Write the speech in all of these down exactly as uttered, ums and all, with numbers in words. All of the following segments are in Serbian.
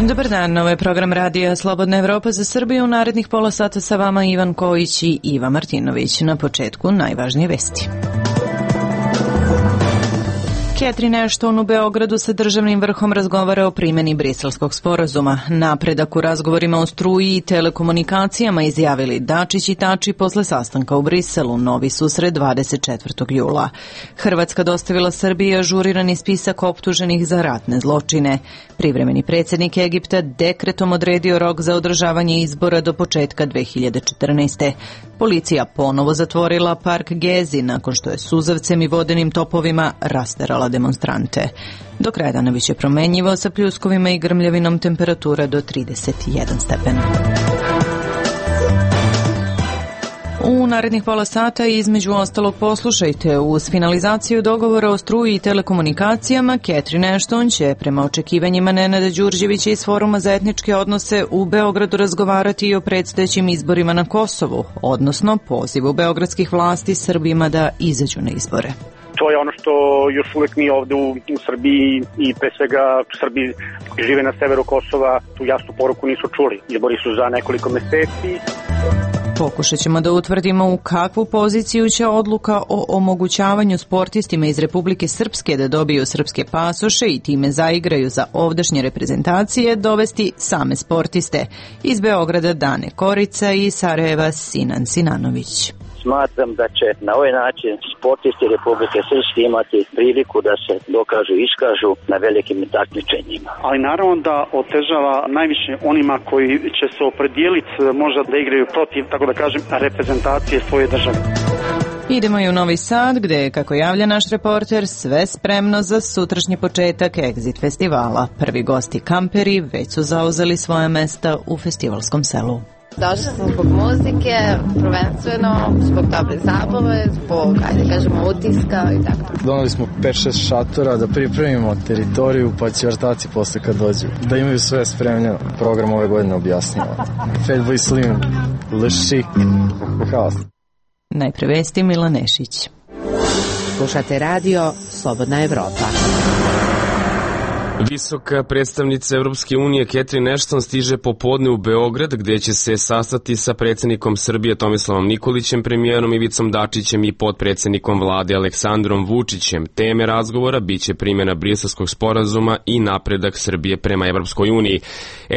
Dobar dan, ovo je program radija Slobodna Evropa za Srbiju. U narednih pola sata sa vama Ivan Kojić i Iva Martinović. Na početku najvažnije vesti. Catherine Ashton u Beogradu sa državnim vrhom razgovara o primjeni Briselskog sporazuma. Napredak u razgovorima o struji i telekomunikacijama izjavili Dačić i Tači posle sastanka u Briselu. Novi susret dvadeset četvrtog jula. Hrvatska dostavila Srbiji ažurirani spisak optuženih za ratne zločine. Privremeni predsjednik Egipta dekretom odredio rok za održavanje izbora do početka dve hiljade četrnaeste. Policija ponovo zatvorila park Gezi nakon što je suzavcem i vodenim topovima rasterala demonstrante. Do kraja dana biće promenjivo sa pljuskovima i grmljavinom, temperatura do trideset jedan stepena. U narednih pola sata između ostalog poslušajte, uz finalizaciju dogovora o struji i telekomunikacijama, Catherine Ashton će prema očekivanjima Nenada Đurđevića iz Foruma za etničke odnose u Beogradu razgovarati i o predstojećim izborima na Kosovu, odnosno pozivu beogradskih vlasti Srbima da izađu na izbore. To je ono što još uvek mi ovde u, u Srbiji i pre svega Srbi koji žive na severu Kosova tu jasnu poruku nisu čuli. Izbori su za nekoliko meseci. Pokušat ćemo da utvrdimo u kakvu poziciju će odluka o omogućavanju sportistima iz Republike Srpske da dobiju srpske pasoše i time zaigraju za ovdašnje reprezentacije dovesti same sportiste. Iz Beograda Dane Korica i Sarajeva Sinan Sinanović. Smatram da će na ovaj način sportisti Republike Srpske imati priliku da se dokažu i iskažu na velikim takmičenjima. Ali naravno da otežava najviše onima koji će se opredijeliti možda da igraju protiv, tako da kažem, reprezentacije svoje države. Idemo i u Novi Sad, gde je, kako javlja naš reporter, sve spremno za sutrašnji početak Exit festivala. Prvi gosti kamperi već su zauzeli svoja mesta u festivalskom selu. Došli smo zbog muzike, prvenstveno zbog dobre zabave, zbog, ajde kažemo, utiska i tako. Donali smo pet šest šatora da pripremimo teritoriju, pa će ortaci posle kad dođu. Da imaju sve spremljeno. Program ove godine objasnjava. Fatboy Slim, Le Chic, haos. Najpre vesti Mila Nešić. Slušate radio Slobodna Evropa. Visoka predstavnica Evropske unije Catherine Ashton stiže popodne u Beograd, gde će se sastati sa predsjednikom Srbije Tomislavom Nikolićem, premijerom Ivicom Dačićem i potpredsjednikom vlade Aleksandrom Vučićem. Teme razgovora biće primjena Briselskog sporazuma i napredak Srbije prema Evropskoj uniji.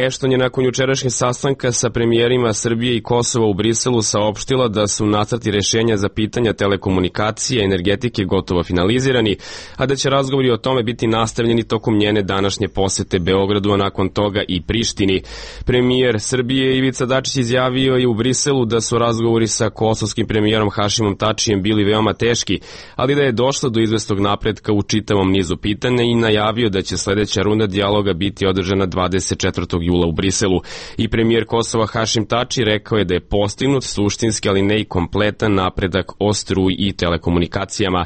Ashton je nakon jučerašnjeg sastanka sa premijerima Srbije i Kosova u Briselu saopštila da su nacrti rešenja za pitanja telekomunikacije i energetike gotovo finalizirani, a da će razgovori o tome biti nastavljeni tokom njene današnje posete Beogradu, a nakon toga i Prištini. Premijer Srbije Ivica Dačić izjavio je u Briselu da su razgovori sa kosovskim premijerom Hašimom Tačijem bili veoma teški, ali da je došlo do izvestog napretka u čitavom nizu pitanja i najavio da će sledeća runda dijaloga biti održana dvadeset četvrtog jula u Briselu. I premijer Kosova Hašim Tači rekao je da je postignut suštinski, ali ne i kompletan napredak o struji i telekomunikacijama.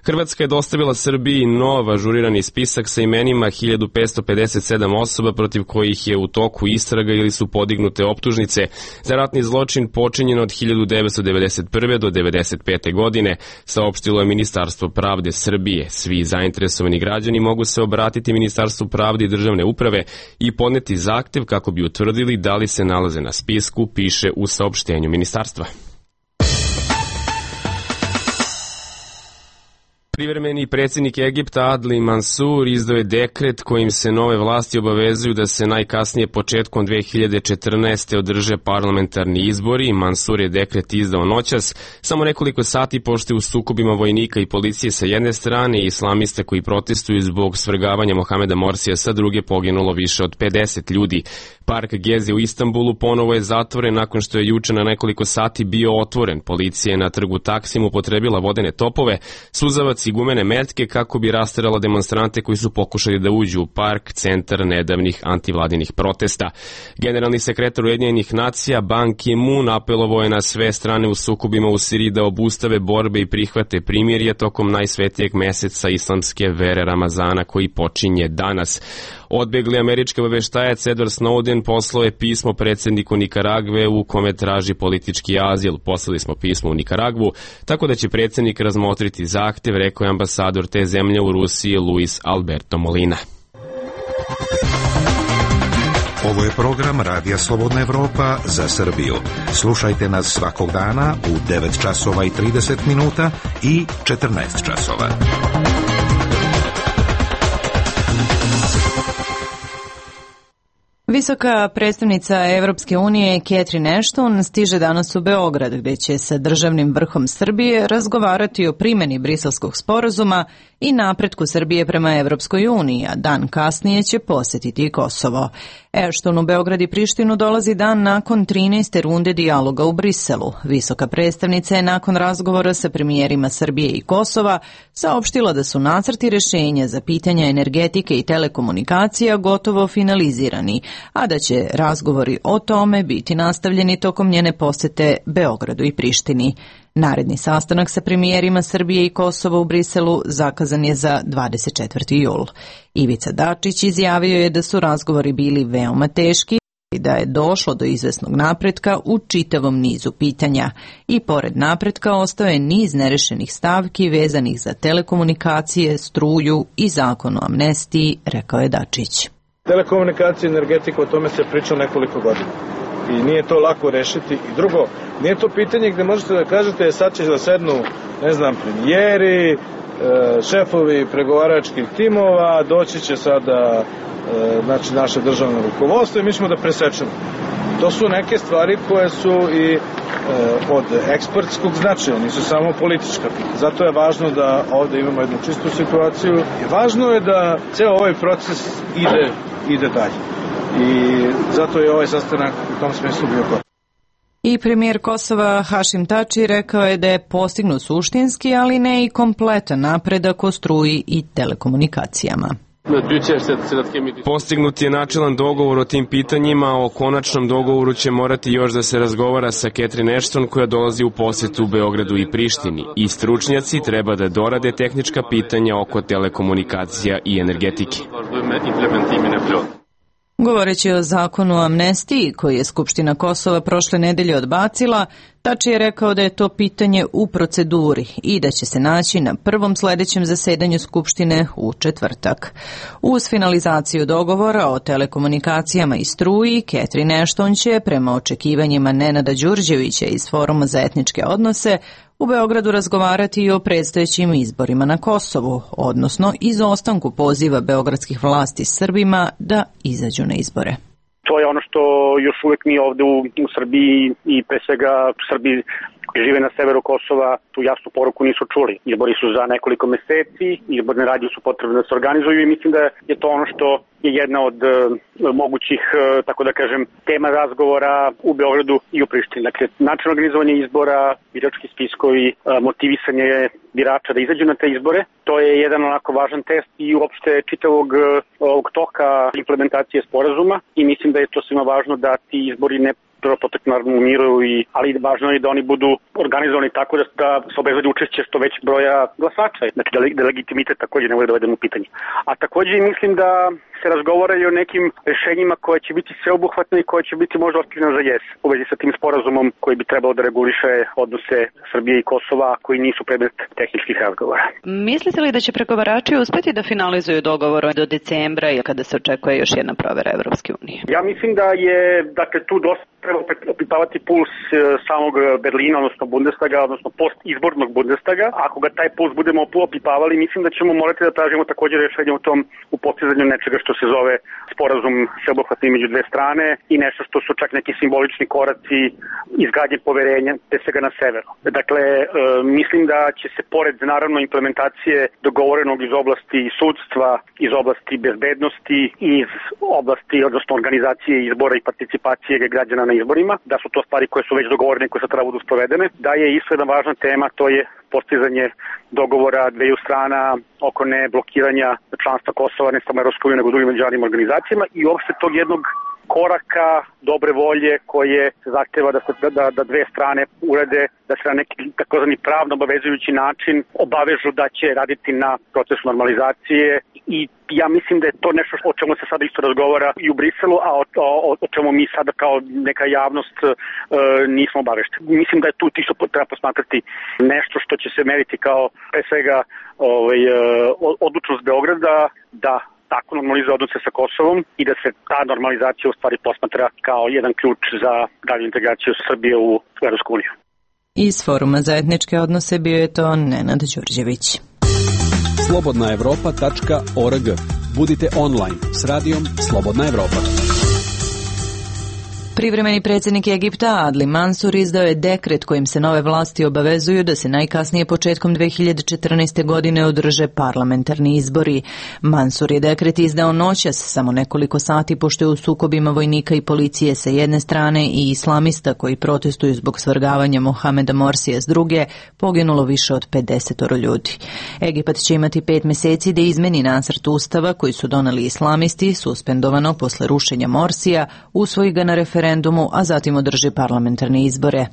Hrvatska je dostavila Srbiji nov ažurirani spisak sa imenima hiljadu petsto pedeset sedam osoba protiv kojih je u toku istraga ili su podignute optužnice za ratni zločin počinjen od hiljadu devetsto devedeset prve do devedeset pete godine, saopštilo je Ministarstvo pravde Srbije. Svi zainteresovani građani mogu se obratiti Ministarstvu pravde i državne uprave i podneti zahtev kako bi utvrdili da li se nalaze na spisku, piše u saopštenju ministarstva. Privremeni predsjednik Egipta Adli Mansur izdao je dekret kojim se nove vlasti obavezuju da se najkasnije početkom dve hiljade četrnaeste. održe parlamentarni izbori. Mansur je dekret izdao noćas, samo nekoliko sati pošto je u sukobima vojnika i policije sa jedne strane i islamista koji protestuju zbog svrgavanja Mohameda Morsija sa druge poginulo više od pedeset ljudi. Park Gezi u Istanbulu ponovo je zatvoren nakon što je juče na nekoliko sati bio otvoren. Policija je na trgu Taksim upotrebila vodene topove, suzavac i gumene metke kako bi rasterala demonstrante koji su pokušali da uđu u park, centar nedavnih antivladinih protesta. Generalni sekretar Ujedinjenih nacija Ban Ki-moon apelovao je na sve strane u sukobima u Siriji da obustave borbe i prihvate primirje tokom najsvetijeg meseca islamske vere Ramazana koji počinje danas. Odbegli američki obaveštajac Edward Snowden poslao je pismo predsjedniku Nikaragve u kome traži politički azil. Poslali smo pismo u Nikaragvu, tako da će predsjednik razmotriti zahtev, rekao je ambasador te zemlje u Rusiji Luis Alberto Molina. Ovo je program Radija Slobodna Evropa za Srbiju. Slušajte nas svakog dana u devet časova i trideset minuta i četrnaest časova. Visoka predstavnica Evropske unije Catherine Ashton stiže danas u Beograd, gde će sa državnim vrhom Srbije razgovarati o primjeni Briselskog sporazuma i napretku Srbije prema Evropskoj uniji, a dan kasnije će posjetiti Kosovo. Ashton u Beograd i Prištinu dolazi dan nakon trinaeste runde dijaloga u Briselu. Visoka predstavnica je nakon razgovora sa premijerima Srbije i Kosova saopštila da su nacrti rešenja za pitanja energetike i telekomunikacija gotovo finalizirani, a da će razgovori o tome biti nastavljeni tokom njene posete Beogradu i Prištini. Naredni sastanak sa premijerima Srbije i Kosova u Briselu zakazan je za dvadeset četvrti jul. Ivica Dačić izjavio je da su razgovori bili veoma teški i da je došlo do izvesnog napretka u čitavom nizu pitanja. I pored napretka ostao je niz nerešenih stavki vezanih za telekomunikacije, struju i zakon o amnestiji, rekao je Dačić. Telekomunikacija i energetika, o tome se priča nekoliko godina. I nije to lako rešiti. I drugo, nije to pitanje gde možete da kažete sad će da sednu, ne znam, premijeri, šefovi pregovaračkih timova, doći će sada znači, naše državno rukovodstvo i mi ćemo da presečemo. To su neke stvari koje su i od ekspertskog značaja, nisu samo politička pitanja. Zato je važno da ovde imamo jednu čistu situaciju i važno je da ceo ovaj proces ide, ide dalje. I zato je ovaj sastanak u tom smislu bio koristan. I premijer Kosova Hašim Tači rekao je da je postignut suštinski, ali ne i kompletan napredak o struji i telekomunikacijama. Postignut je načelan dogovor o tim pitanjima, o konačnom dogovoru će morati još da se razgovara sa Catherine Ashton koja dolazi u posetu u Beogradu i Prištini. I stručnjaci treba da dorade tehnička pitanja oko telekomunikacija i energetike. Govoreći o zakonu o amnestiji, koji je Skupština Kosova prošle nedelje odbacila, Tači je rekao da je to pitanje u proceduri i da će se naći na prvom sledećem zasedanju Skupštine u četvrtak. Uz finalizaciju dogovora o telekomunikacijama i struji, Catherine Ashton će, prema očekivanjima Nenada Đurđevića iz Foruma za etničke odnose, u Beogradu razgovarati i o predstojećim izborima na Kosovu, odnosno izostanku poziva beogradskih vlasti Srbima da izađu na izbore. To je ono što još uvek mi ovde u, u Srbiji i pre svega Srbi koji žive na severu Kosova tu jasnu poruku nisu čuli. Izbori su za nekoliko meseci, izborne radnje su potrebne da se organizuju i mislim da je to ono što je jedna od uh, mogućih, uh, tako da kažem, tema razgovora u Beogradu i u Prištini. Dakle, način organizovanja izbora, birački spiskovi, uh, motivisanje birača da izađu na te izbore, to je jedan onako važan test i uopšte čitavog uh, ovog toka implementacije sporazuma i mislim da je to svima važno da ti izbori ne prvo potek naravno u miru, i, ali važno je da oni budu organizovani tako da, da se obezbedi učešće što većeg broja glasača, znači da, da legitimitet takođe ne bude doveden u pitanje. A takođe mislim da se razgovara i o nekim rešenjima koje će biti sveobuhvatne i koje će biti možda otkljena za jes u vezi sa tim sporazumom koji bi trebalo da reguliše odnose Srbije i Kosova koji nisu predmet tehničkih razgovora. Mislite li da će pregovarači uspeti da finalizuju dogovor do decembra i kada se očekuje još jedna provera Evropske unije? Ja mislim da je dakle, tu dosta treba opipavati puls samog Berlina, odnosno Bundestaga, odnosno post-izbornog Bundestaga. Ako ga taj puls budemo opipavali, mislim da ćemo morati da tražimo također rešenje u tom u postizanju nečega što se zove sporazum sveobuhvatni među dve strane i nešto što su čak neki simbolični koraci izgradnje poverenja, pre svega na severu. Dakle, e, mislim da će se pored naravno implementacije dogovorenog iz oblasti sudstva, iz oblasti bezbednosti, iz oblasti, odnosno organizacije izbora i participacije građana na izborima, da su to stvari koje su već dogovorene i koje sad treba budu sprovedene, da je isto jedna važna tema, to je postizanje dogovora dveju strana oko ne blokiranja članstva Kosova, ne samo Evropske unije, nego drugim međunarodnim organizacijama i uopšte tog jednog koraka dobre volje koje zahteva da, se, da, da dve strane urede, da se na neki takozvani pravno obavezujući način obavežu da će raditi na procesu normalizacije i ja mislim da je to nešto o čemu se sada isto razgovara i u Briselu, a o, o, o čemu mi sada kao neka javnost e, nismo obavešteni. Mislim da je tu isto treba posmatrati nešto što će se meriti kao pre svega ovaj, odlučnost Beograda da tako normalizuje odnose sa Kosovom i da se ta normalizacija u stvari posmatra kao jedan ključ za dalju integraciju Srbije u Evropsku uniju. Iz Foruma za etničke odnose bio je to Nenad Đurđević. slobodna evropa tačka org. Budite online s radijom Slobodna Evropa. Privremeni predsjednik Egipta Adli Mansur izdao je dekret kojim se nove vlasti obavezuju da se najkasnije početkom dve hiljade četrnaeste. godine održe parlamentarni izbori. Mansur je dekret izdao noćas, samo nekoliko sati pošto je u sukobima vojnika i policije sa jedne strane i islamista koji protestuju zbog svrgavanja Mohameda Morsija s druge, poginulo više od pedeset ljudi. Egipat će imati pet meseci da izmeni nacrt ustava koji su doneli islamisti, suspendovano posle rušenja Morsija, usvoji ga na referendumu, a zatim održi parlamentarne izbore.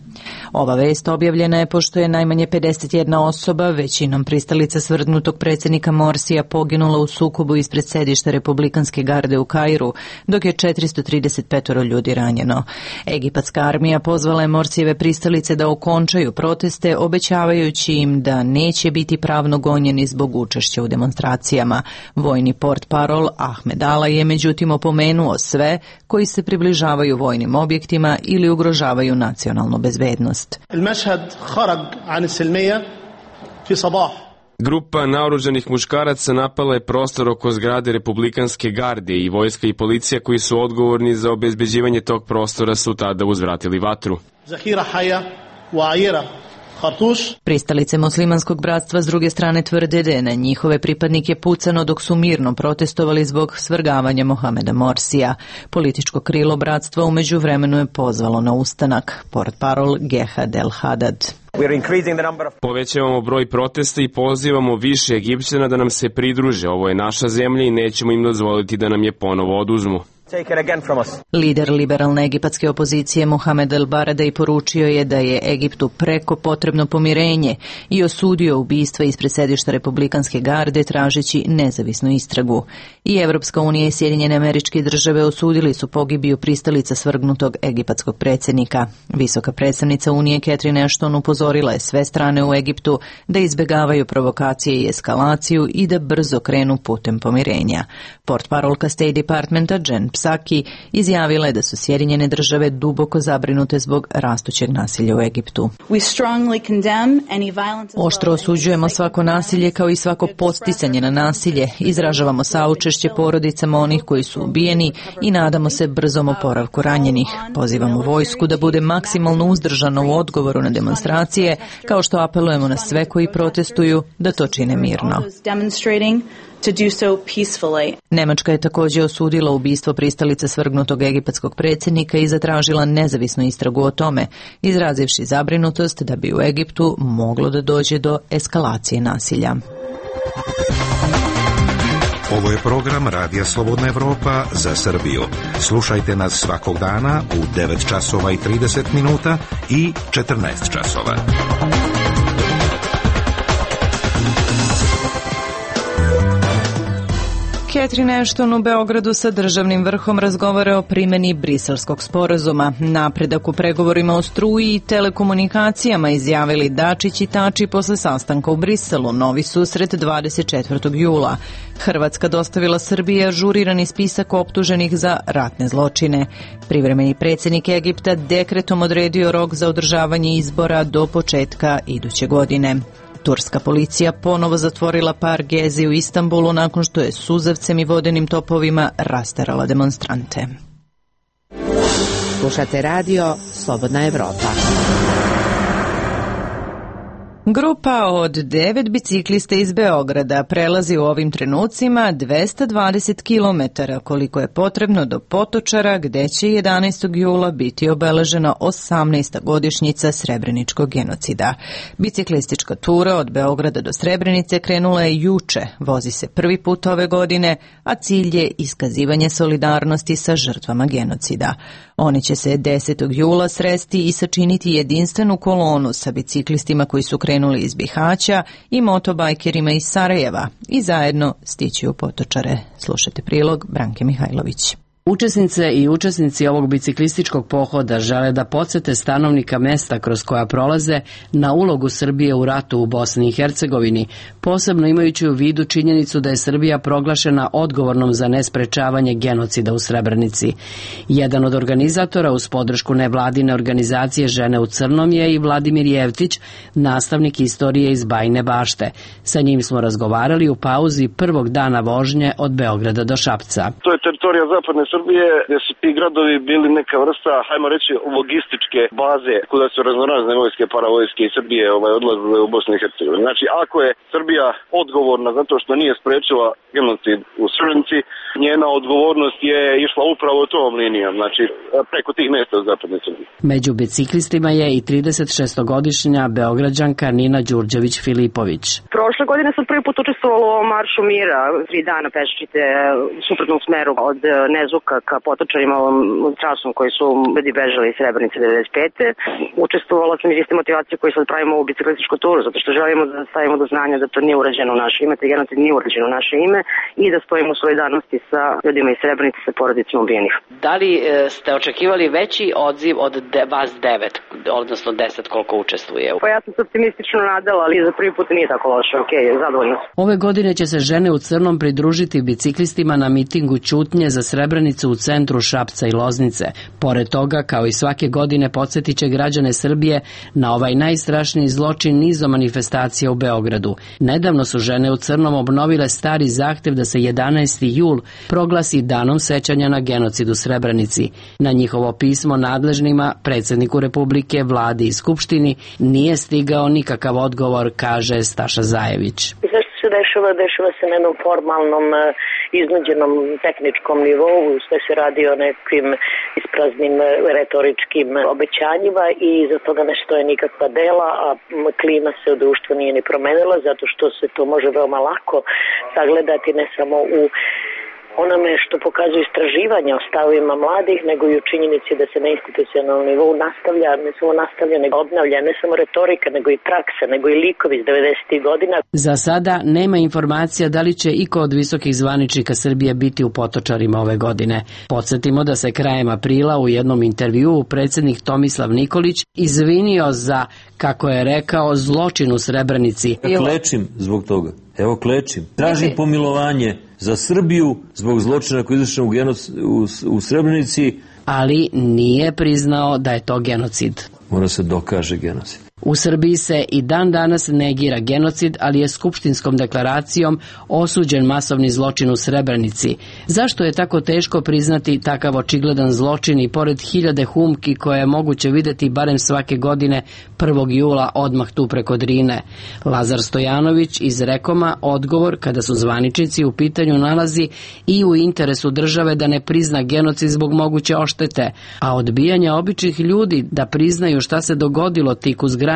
Ova vest objavljena je pošto je najmanje pedeset jedna osoba, većinom pristalica svrgnutog predsjednika Morsija, poginula u sukobu ispred sedišta Republikanske garde u Kairu, dok je četiristo trideset pet ljudi ranjeno. Egipatska armija pozvala je Morsijeve pristalice da okončaju proteste, obećavajući im da neće biti pravno gonjeni zbog učešća u demonstracijama. Vojni portparol Ahmed Ala je međutim opomenuo sve koji se približavaju vojnim objektima ili ugrožavaju nacionalnu bezbednost. Grupa naoružanih muškaraca napala je prostor oko zgrade Republikanske garde i vojska i policija koji su odgovorni za obezbeđivanje tog prostora su tada uzvratili vatru. Pristalice muslimanskog bratstva s druge strane tvrde da je na njihove pripadnike pucano dok su mirno protestovali zbog svrgavanja Mohameda Morsija. Političko krilo bratstva u međuvremenu je pozvalo na ustanak. Portparol Gehad El Hadad. Povećavamo broj protesta i pozivamo više Egipćana da nam se pridruže. Ovo je naša zemlja i nećemo im dozvoliti da nam je ponovo oduzmu. Lider liberalne egipatske opozicije Mohamed El Baradei poručio je da je Egiptu preko potrebno pomirenje i osudio ubistva ispred sedišta Republikanske garde tražeći nezavisnu istragu. I Evropska unija i Sjedinjene Američke Države osudili su pogibiju pristalica svrgnutog egipatskog predsjednika. Visoka predstavnica Unije Catherine Ashton upozorila je sve strane u Egiptu da izbjegavaju provokacije i eskalaciju i da brzo krenu putem pomirenja. Portparolka State Departmenta Jen Psaki izjavila je da su Sjedinjene Države duboko zabrinute zbog rastućeg nasilja u Egiptu. Oštro osuđujemo svako nasilje kao i svako podsticanje na nasilje. Izražavamo saučešće porodicama onih koji su ubijeni i nadamo se brzom oporavku ranjenih. Pozivamo vojsku da bude maksimalno uzdržana u odgovoru na demonstracije, kao što apelujemo na sve koji protestuju da to čine mirno. To do so peacefully. Nemačka je također osudila ubistvo pristalice svrgnutog egipatskog predsjednika i zatražila nezavisnu istragu o tome, izrazivši zabrinutost da bi u Egiptu moglo da dođe do eskalacije nasilja. Ovo je program Radija Slobodna Evropa za Srbiju. Slušajte nas svakog dana u devet časova i trideset minuta i četrnaest časova. Catherine Ashton u Beogradu sa državnim vrhom razgovara o primjeni Briselskog sporazuma. Napredak u pregovorima o struji i telekomunikacijama izjavili Dačić i Tači posle sastanka u Briselu. Novi susret dvadeset četvrtog jula. Hrvatska dostavila Srbiji ažurirani spisak optuženih za ratne zločine. Privremeni predsjednik Egipta dekretom odredio rok za održavanje izbora do početka iduće godine. Turska policija ponovo zatvorila par Gezi u Istanbulu nakon što je suzavcem i vodenim topovima rasterala demonstrante. Slušate radio Slobodna Evropa. Grupa od devet biciklista iz Beograda prelazi u ovim trenucima dvesta dvadeset kilometara koliko je potrebno do Potočara gde će jedanaestog jula biti obeležena osamnaesta godišnjica Srebreničkog genocida. Biciklistička tura od Beograda do Srebrenice krenula je juče, vozi se prvi put ove godine, a cilj je iskazivanje solidarnosti sa žrtvama genocida. Oni će se desetog jula sresti i sačiniti jedinstvenu kolonu sa biciklistima koji su krenuli iz Bihaća i motobajkerima iz Sarajeva i zajedno stići u Potočare. Slušajte prilog Branke Mihajlović. Učesnice i učesnici ovog biciklističkog pohoda žele da podsete stanovnika mesta kroz koja prolaze na ulogu Srbije u ratu u Bosni i Hercegovini, posebno imajući u vidu činjenicu da je Srbija proglašena odgovornom za nesprečavanje genocida u Srebrenici. Jedan od organizatora uz podršku nevladine organizacije Žene u crnom je i Vladimir Jevtić, nastavnik istorije iz Bajine Bašte. Sa njim smo razgovarali u pauzi prvog dana vožnje od Beograda do Šapca. To je teritorija zapadne Srbije, gdje su ti gradovi bili neka vrsta, hajmo reći, logističke baze kuda su raznorazne vojske, paravojske i Srbije ovaj, odlazile u Bosnu i Hercegovini. Znači, ako je Srbija odgovorna zato što nije sprečila genocid u Srebrenici, njena odgovornost je išla upravo tom linijom, znači preko tih mjesta u zapadne Srbije. Među biciklistima je i tridesetšestogodišnja Beograđanka Nina Đurđević-Filipović. Prošle godine sam prvi put učestvovala u Maršu mira, tri dana peščite u suprotnom smeru od Nezuka ka Potočarima, ovom trasom koji su ljudi bežali iz Srebrenice devedeset pete. Učestvovala sam iz iste motivacije koju sad pravimo u biciklističku turu, zato što želimo da stavimo do znanja da to nije urađeno u naše ime, te genocid nije urađeno u naše ime i da stojimo u solidarnosti sa ljudima iz Srebrenice, sa porodicama ubijenih. Da li e, ste očekivali veći odziv od de, vas devet, odnosno deset koliko učestvuje? Pa ja sam se optimistično nadala, ali za prvi put nije tako loše, ok, zadovoljno. Ove godine će se Žene u crnom pridružiti biciklistima na mitingu ćutnje za Srebrenicu u centru Šapca i Loznice. Pored toga, kao i svake godine, podsjetit će građane Srbije na ovaj najstrašniji zločin nizom manifestacija u Beogradu. Nedavno su Žene u crnom obnovile stari zahtev da se jedanaesti jul proglasi danom sećanja na genocid u Srebrenici. Na njihovo pismo nadležnima, predsjedniku Republike, vladi i skupštini nije stigao nikakav odgovor, kaže Staša Zajević. Zašto se dešava? Dešava se na jednom formalnom, iznuđenom tehničkom nivou, sve se radi o nekim ispraznim retoričkim obećanjima i iza toga ne stoje nikakva dela, a klima se u društvu nije ni promenila, zato što se to može veoma lako sagledati ne samo u onome što pokazuje istraživanja o stavovima mladih, nego i u činjenici da se na institucionalnom nivou nastavlja, ne samo nastavlja, nego obnavlja, ne samo retorika, nego i praksa, nego i likovi iz devedesetih godina. Za sada nema informacija da li će iko od visokih zvaničnika Srbije biti u Potočarima ove godine. Podsjetimo da se krajem aprila u jednom intervjuu predsjednik Tomislav Nikolić izvinio za, kako je rekao, zločin u Srebrenici. Ja klečim zbog toga. Evo klečim. Tražim pomilovanje za Srbiju zbog zločina koji je izvršen u, genoc, u, u Srebrenici. Ali nije priznao da je to genocid. Mora se dokaže genocid. U Srbiji se i dan danas negira genocid, ali je skupštinskom deklaracijom osuđen masovni zločin u Srebrenici. Zašto je tako teško priznati takav očigledan zločin i pored hiljade humki koje je moguće videti barem svake godine prvog jula odmah tu preko Drine? Lazar Stojanović iz Rekoma odgovor kada su zvaničnici u pitanju nalazi i u interesu države da ne prizna genocid zbog moguće oštete, a odbijanja običnih ljudi da priznaju šta se dogodilo tik uz granicu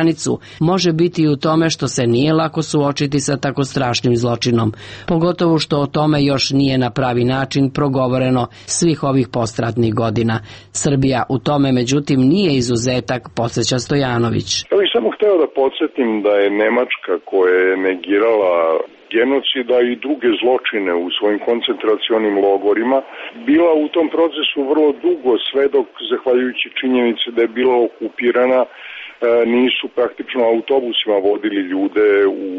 može biti i u tome što se nije lako suočiti sa tako strašnim zločinom, pogotovo što o tome još nije na pravi način progovoreno svih ovih postratnih godina. Srbija u tome međutim nije izuzetak, podsjeća Stojanović. Ja bih samo hteo da podsjetim da je Nemačka koja je negirala genocida i druge zločine u svojim koncentracionim logorima bila u tom procesu vrlo dugo, sve dok, zahvaljujući činjenici da je bila okupirana, nisu praktično autobusima vodili ljude u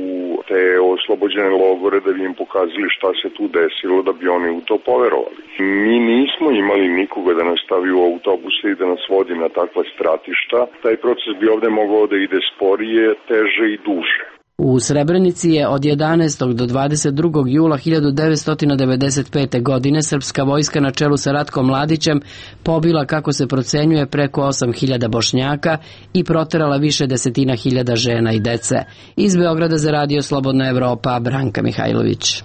te oslobođene logore da bi im pokazali šta se tu desilo, da bi oni u to poverovali. Mi nismo imali nikoga da nas stavi u autobuse i da nas vodi na takva stratišta. Taj proces bi ovde mogao da ide sporije, teže i duže. U Srebrenici je od jedanaestog do dvadeset drugog jula hiljadu devetsto devedeset pete. godine srpska vojska na čelu sa Ratkom Mladićem pobila, kako se procenjuje, preko osam hiljada Bošnjaka i proterala više desetina hiljada žena i dece. Iz Beograda za Radio Slobodna Evropa, Branka Mihajlović.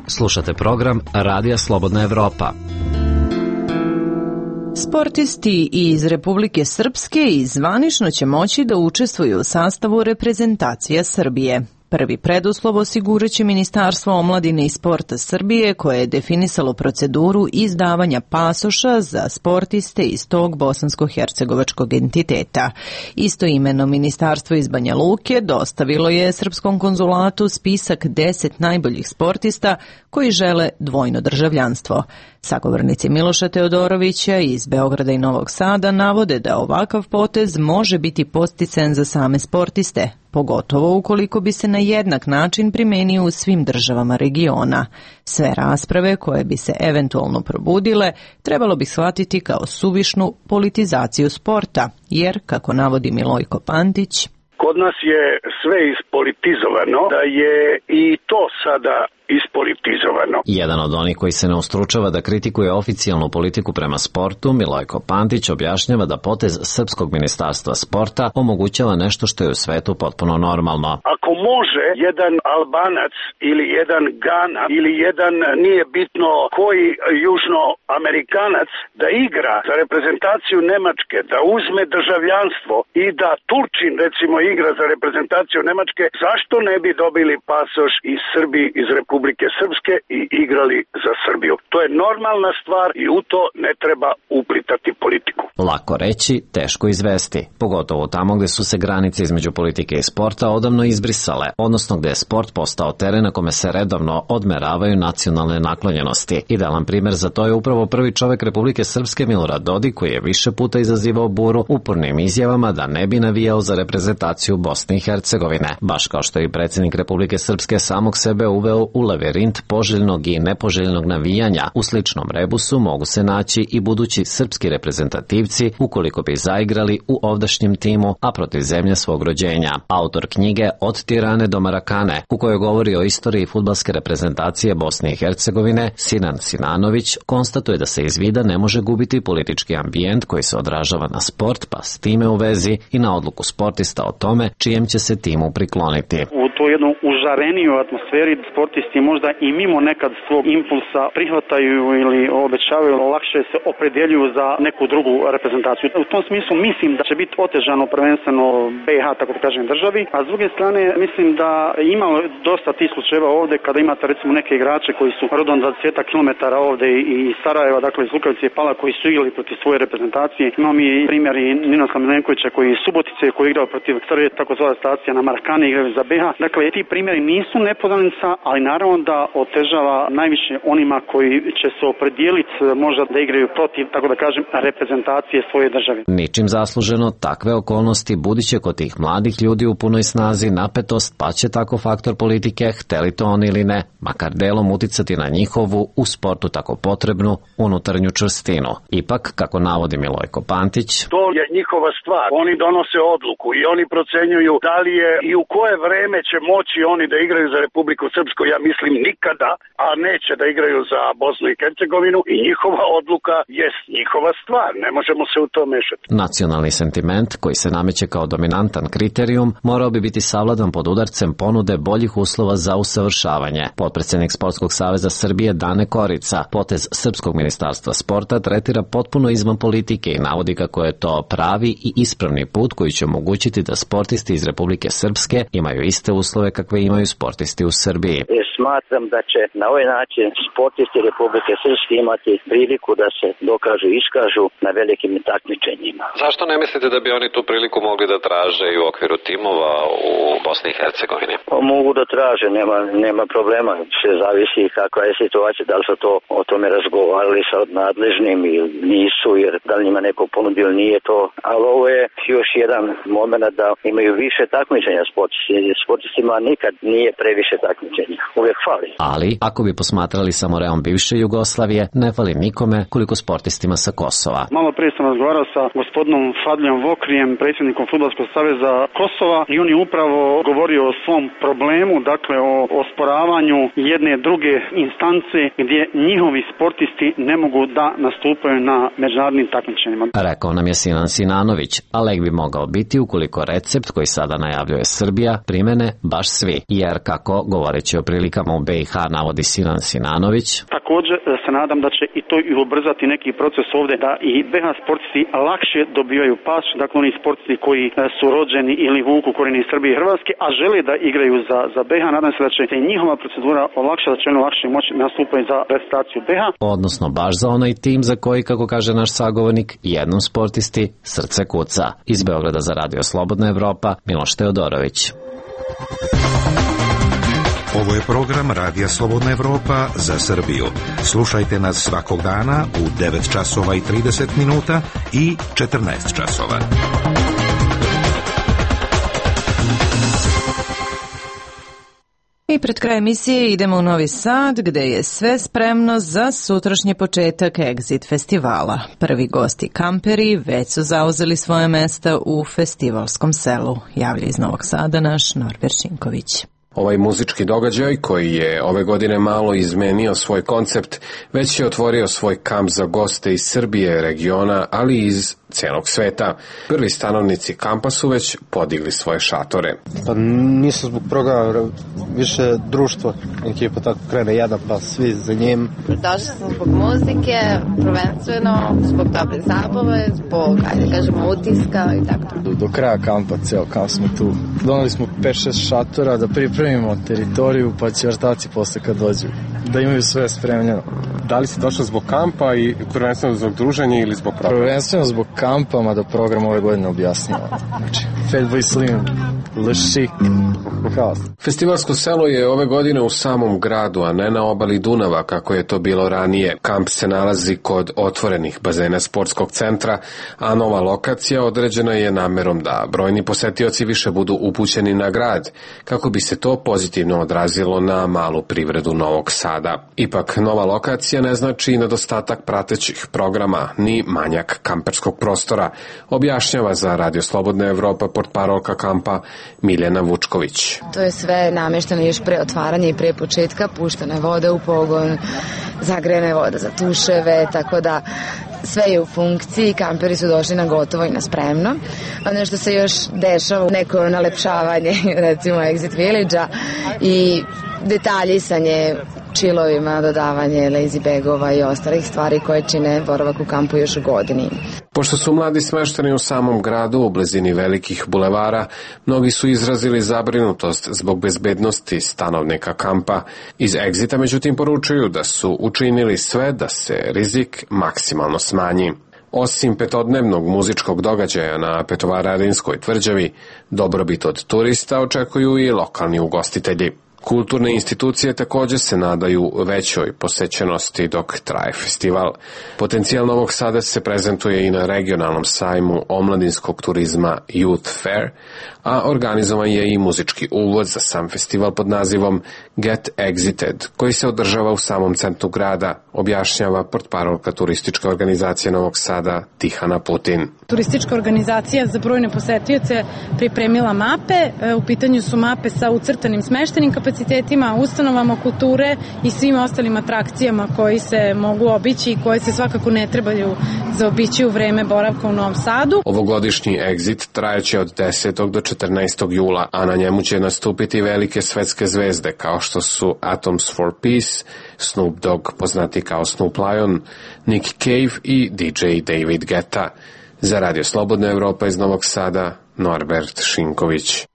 Slušate program Radija Slobodna Evropa. Sportisti iz Republike Srpske i zvanično će moći da učestvuju u sastavu reprezentacija Srbije. Prvi preduslov osigurat će Ministarstvo omladine i sporta Srbije, koje je definisalo proceduru izdavanja pasoša za sportiste iz tog bosansko-hercegovačkog entiteta. Istoimeno ministarstvo iz Banja Luke dostavilo je Srpskom konzulatu spisak deset najboljih sportista koji žele dvojno državljanstvo. Sagovornici Miloša Teodorovića iz Beograda i Novog Sada navode da ovakav potez može biti podsticajan za same sportiste, pogotovo ukoliko bi se na jednak način primenio u svim državama regiona. Sve rasprave koje bi se eventualno probudile trebalo bi shvatiti kao suvišnu politizaciju sporta, jer, kako navodi Milojko Pantić, kod nas je sve ispolitizovano, da je i to sada ispolitizovano. Jedan od onih koji se ne ustručava da kritikuje oficijalnu politiku prema sportu, Milojko Pantić objašnjava da potez Srpskog ministarstva sporta omogućava nešto što je u svetu potpuno normalno. Ako može jedan Albanac ili jedan Gana ili jedan, nije bitno koji, južnoamerikanac da igra za reprezentaciju Nemačke, da uzme državljanstvo i da Turčin recimo igra za reprezentaciju Nemačke, zašto ne bi dobili pasoš iz Srbije, iz Republike Republike Srpske i igrali za Srbiju. To je normalna stvar i u to ne treba uplitati politiku. Lako reći, teško izvesti, pogotovo tamo gde su se granice između politike i sporta odavno izbrisale, odnosno gde je sport postao teren na kome se redovno odmeravaju nacionalne naklonjenosti. Idealan primer za to je upravo prvi čovek Republike Srpske Milorad Dodik, koji je više puta izazivao buru upornim izjavama da ne bi navijao za reprezentaciju Bosne i Hercegovine, baš kao što je i predsjednik Republike Srpske samog sebe uveo u lavirint poželjnog i nepoželjnog navijanja. U sličnom rebusu mogu se naći i budući srpski reprezentativci ukoliko bi zaigrali u ovdašnjem timu, a protiv zemlje svog rođenja. Autor knjige Od Tirane do Marakane, u kojoj govori o istoriji fudbalske reprezentacije Bosne i Hercegovine, Sinan Sinanović, konstatuje da se iz vida ne može gubiti politički ambijent koji se odražava na sport, pa s time u vezi i na odluku sportista o tome čijem će se timu prikloniti. U to jednu užareniju atmosferi sportisti možda i mimo nekad svog impulsa prihvataju ili obećavaju, lakše se opredeljuju za neku drugu reprezentaciju. U tom smislu mislim da će biti otežano prvenstveno B iH, tako da kažem, državi, a s druge strane mislim da ima dosta tih slučajeva ovde kada imate recimo neke igrače koji su rodom dvadeset kilometara ovde i Sarajeva, dakle iz Lukavice i Pala, koji su igrali protiv svoje reprezentacije. Imamo i primjer i Ninoslav Milenkovića koji iz Subotice, koji je igrao protiv Srbije, takozvana stacija na Marakane, igraju za B iH. Dakle, ti primjeri nisu nepoznanica, ali naravno da otežava najviše onima koji će se opredijeliti možda da igraju protiv, tako da kažem, reprezentacije svoje države. Ničim zasluženo, takve okolnosti budiće kod tih mladih ljudi u punoj snazi napetost, pa će tako faktor politike, hteli to oni ili ne, makar delom uticati na njihovu, u sportu tako potrebnu, unutarnju čvrstinu. Ipak, kako navodi Milojko Pantić, to je njihova stvar. Oni donose odluku i oni procenjuju da li je i u koje vreme će moći oni da igraju za Republiku Srpsku. Ja mislim nikada, a neće da igraju za Bosnu i Hercegovinu i njihova odluka jest njihova stvar. Ne možemo se u to mešati. Nacionalni sentiment koji se nameće kao dominantan kriterijum morao bi biti savladan pod udarcem ponude boljih uslova za usavršavanje. Potpredsednik Sportskog saveza Srbije Dane Korica potez Srpskog ministarstva sporta tretira potpuno izvan politike i navodi kako je to pravi i ispravni put koji će omogućiti da sportisti iz Republike Srpske imaju iste uslove kakve imaju sportisti u Srbiji. Smatram da će na ovaj način sportisti Republike Srpske imati priliku da se dokažu i iskažu na velikim takmičenjima. Zašto ne mislite da bi oni tu priliku mogli da traže i u okviru timova u Bosni i Hercegovini? Pa mogu da traže, nema, nema problema. Sve zavisi kakva je situacija, da li su to o tome razgovarali sa nadležnim ili nisu, jer da li njima neko ponudio nije to. Ali ovo je još jedan moment da imaju više takmičenja sportisti. Sportistima nikad nije previše takmičenja. Uvijek fali. Ali, ako bi posmatrali samo reom bivše Jugoslavije, ne fali nikome koliko sportistima sa Kosova. Malo prije sam razgovarao sa gospodinom Fadlijom Vokrijem, predsjednikom Fudbalskog saveza Kosova, i on je upravo govorio o svom problemu, dakle o osporavanju jedne druge instance gdje njihovi sportisti ne mogu da nastupaju na međunarodnim takmičenjima. Rekao nam je Sinan Sinanović, a lek bi mogao biti ukoliko recept koji sada najavljuje Srbija primene baš svi, jer kako, govoreći o prilikama u B iH, navodi Sinan Sinanović, također se nadam da će i to i ubrzati neki proces ovdje, da i B iH sportisti lakše dobivaju pas, dakle oni sportisti koji su rođeni ili vuku korijene iz Srbije i Hrvatske, a žele da igraju za, za B iH, nadam se da će se njihova procedura olakšati, da će oni lakše moći nastupati za reprezentaciju B iH. Odnosno baš za onaj tim za koji, kako kaže naš sagovornik, jednom sportisti srce kuca. Iz Beograda za Radio Slobodna Evropa, Miloš Teodorović. Ovo je program Radija Slobodna Evropa za Srbiju. Slušajte nas svakog dana u devet časova i trideset minuta i četrnaest časova. I pred kraj emisije idemo u Novi Sad, gde je sve spremno za sutrašnji početak Exit festivala. Prvi gosti kamperi već su zauzeli svoje mesta u festivalskom selu. Javlja iz Novog Sada naš Norbert Šinković. Ovaj muzički događaj, koji je ove godine malo izmenio svoj koncept, već je otvorio svoj kamp za goste iz Srbije, regiona, ali i iz celog sveta. Prvi stanovnici kampa su već podigli svoje šatore. Pa nisu zbog programa, više društvo. Ekipa tako krene jedan, pa svi za njim. Došli smo zbog muzike, prvenstveno, zbog dobre zabave, zbog, ajde kažemo, utiska i tako. Do, do kraja kampa, ceo kamp smo tu. Donali smo pet šest šatora da pripremimo teritoriju, pa će vrtaci posle kad dođu, da imaju sve spremljeno. Da li si došao zbog kampa i prvenstveno zbog druženja ili zbog programa? Prvenstveno zbog kampa, mada program ove godine objasnio. Znači, Fatboy Slim, Le Chic, haos. Festivalsko selo je ove godine u samom gradu, a ne na obali Dunava, kako je to bilo ranije. Kamp se nalazi kod otvorenih bazena sportskog centra, a nova lokacija određena je namerom da brojni posetioci više budu upućeni na grad, kako bi se to pozitivno odrazilo na malu privredu Novog Sada. Ipak, nova lokacija ne znači nedostatak pratećih programa, ni manjak kamperskog prostora, objašnjava za Radio Slobodna Evropa portparolka kampa Miljana Vučković. To je sve namešteno još pre otvaranja i pre početka, puštena je voda u pogon, zagrejena je voda za tuševe, tako da sve je u funkciji, kamperi su došli na gotovo i na spremno. Ono što se još dešava, neko nalepšavanje, recimo Exit Village-a i detaljisanje čilovima, dodavanje lazy bagova i ostalih stvari koje čine boravak u kampu još u godini. Pošto su mladi smešteni u samom gradu, u blizini velikih bulevara, mnogi su izrazili zabrinutost zbog bezbednosti stanovnika kampa. Iz Exita međutim poručuju da su učinili sve da se rizik maksimalno smanji. Osim petodnevnog muzičkog događaja na Petovaradinskoj tvrđavi, dobrobit od turista očekuju i lokalni ugostitelji. Kulturne institucije također se nadaju većoj posećenosti dok traje festival. Potencijal Novog Sada se prezentuje i na regionalnom sajmu omladinskog turizma Youth Fair, a organizovan je i muzički uvod za sam festival pod nazivom Get Exited, koji se održava u samom centru grada, objašnjava portparolka turističke organizacije Novog Sada Tihana Putin. Turistička organizacija za brojne posetioce pripremila mape. U pitanju su mape sa ucrtanim smeštenim kapacitetima, ustanovama kulture i svim ostalim atrakcijama koji se mogu obići i koje se svakako ne trebaju zaobići u vreme boravka u Novom Sadu. Ovogodišnji Exit trajeće od desetog do četrnaestog jula, a na njemu će nastupiti velike svetske zvezde kao što su Atoms for Peace, Snoop Dogg poznati kao Snoop Lion, Nick Cave i D J David Guetta. Za Radio Slobodna Evropa iz Novog Sada, Norbert Šinković.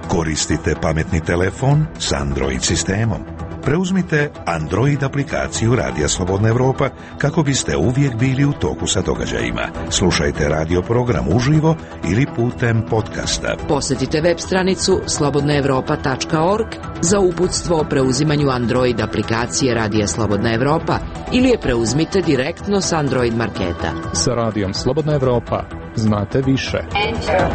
Koristite pametni telefon s Android sistemom. Preuzmite Android aplikaciju Radija Slobodna Evropa kako biste uvijek bili u toku sa događajima. Slušajte radio program uživo ili putem podcasta. Posjetite web stranicu slobodna evropa tačka org za uputstvo o preuzimanju Android aplikacije Radija Slobodna Evropa ili je preuzmite direktno s Android marketa. Sa Radijom Slobodna Evropa znate više. Enter.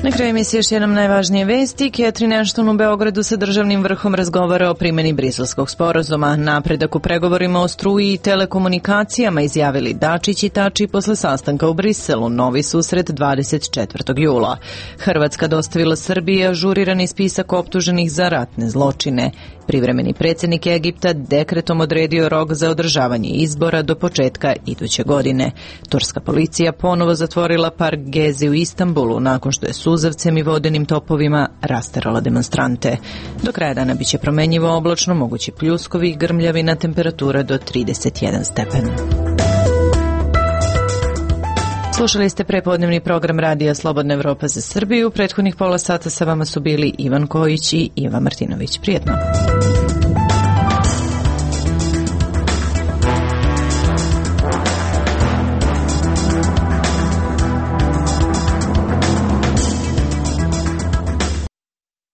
Na kraju emisije još jednom najvažnije vesti. Catherine Ashton u Beogradu sa državnim vrhom razgovara o primjeni briselskog sporazuma. Napredak u pregovorima o struji i telekomunikacijama izjavili Dačić i Tači posle sastanka u Briselu. Novi susret dvadeset četvrtog jula. Hrvatska dostavila Srbiji ažurirani spisak optuženih za ratne zločine. Privremeni predsjednik Egipta dekretom odredio rok za održavanje izbora do početka iduće godine. Turska policija ponovo zatvorila park Gezi u Istanbulu nakon što je suzavcem i vodenim topovima rasterala demonstrante. Do kraja dana biće promenjivo oblačno, mogući pljuskovi i grmljavina, temperatura do trideset jedan stepen. Slušali ste prepodnevni program Radija Slobodna Evropa za Srbiju. Prethodnih pola sata sa vama su bili Ivan Kojić i Iva Martinović. Prijetno.